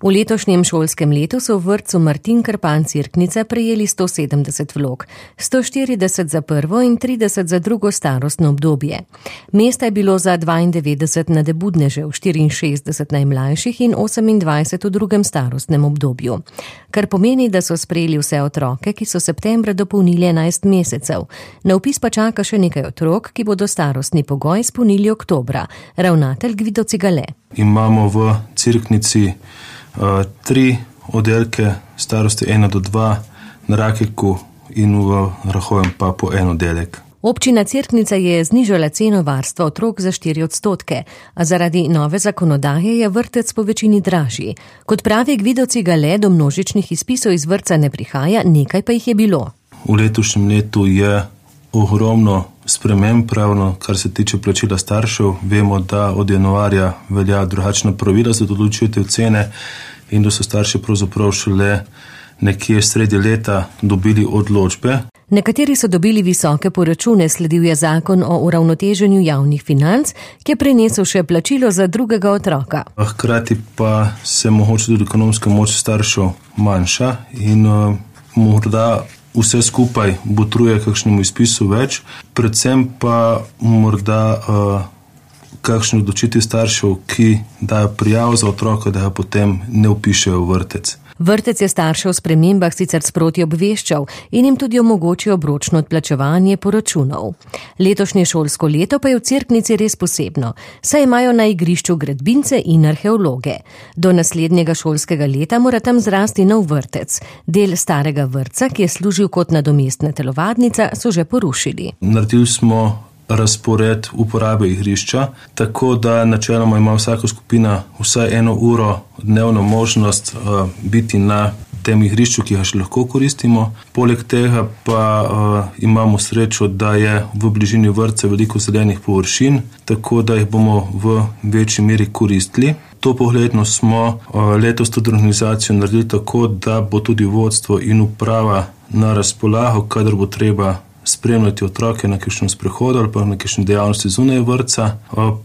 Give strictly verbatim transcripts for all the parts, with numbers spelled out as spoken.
V letošnjem šolskem letu so v vrtcu Martin Krpan Cerknica prejeli sto sedemdeset vlog, sto štirideset za prvo in trideset za drugo starostno obdobje. Mesta je bilo za dvaindevetdeset nadebudnežev, štiriinšestdeset najmlajših in osemindvajset v drugem starostnem obdobju. Kar pomeni, da so sprejeli vse otroke, ki so septembra dopolnili enajst mesecev. Na vpis pa čaka še nekaj otrok, ki bodo starostni pogoj izpolnili oktobra. Ravnatelj Gvido Cigale. Imamo v Cerknici uh, tri oddelke starosti ena do dva, na Rakeku in v Rahovem pa po en oddelek. Občina Cerknica je znižala ceno varstva otrok za štiri odstotke, a zaradi nove zakonodaje je vrtec po večini dražji. Kot pravi Gvido Cigale, do množičnih izpisov iz vrtca ne prihaja, nekaj pa jih je bilo. V letošnjem letu je ogromno sprememb, pravno, kar se tiče plačila staršev. Vemo, da od januarja velja drugačna pravila za določitev cene in da so starši pravzaprav šele nekje sredi leta dobili odločbe. Nekateri so dobili visoke poračune, sledil je zakon o uravnoteženju javnih financ, ki je prenesel še plačilo za drugega otroka. Hkrati pa se mogoče tudi ekonomska moč staršev manjša in uh, morda vse skupaj botruje kakšnemu izpisu več, predvsem pa morda uh, kakšno odločitev staršev, ki dajo prijavo za otroka, da ga potem ne vpišejo v vrtec. Vrtec je starše o spremembah sicer sproti obveščal in jim tudi omogočil obročno odplačevanje poračunov. Letošnje šolsko leto pa je v Cerknici res posebno, saj imajo na igrišču gradbince in arheologe. Do naslednjega šolskega leta mora tam zrasti nov vrtec. Del starega vrtca, ki je služil kot nadomestna telovadnica, so že porušili. Naredili smo razpored uporabe igrišča, tako da načeloma ima vsaka skupina vsaj eno uro dnevno možnost uh, biti na tem igrišču, ki ga še lahko koristimo. Poleg tega pa uh, imamo srečo, da je v bližini vrtca veliko zelenih površin, tako da jih bomo v večji meri koristili. To pogledno smo uh, letos to organizacijo naredili tako, da bo tudi vodstvo in uprava na razpolago, kadar bo treba spremljati otroke na kakšnem sprehodu ali pa na kakšni dejavnosti zunaj vrtca.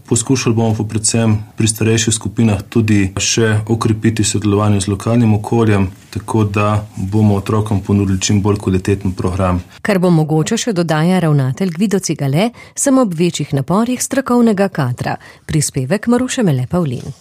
Poskušali bomo pa predvsem pri starejših skupinah tudi še okrepiti sodelovanje z lokalnim okoljem, tako da bomo otrokom ponudili čim bolj kvaliteten program. Kar bo mogoče še dodaja ravnatelj Gvido Cigale, samo ob večjih naporih strokovnega kadra. Prispevek Maruše Mele Pavlin.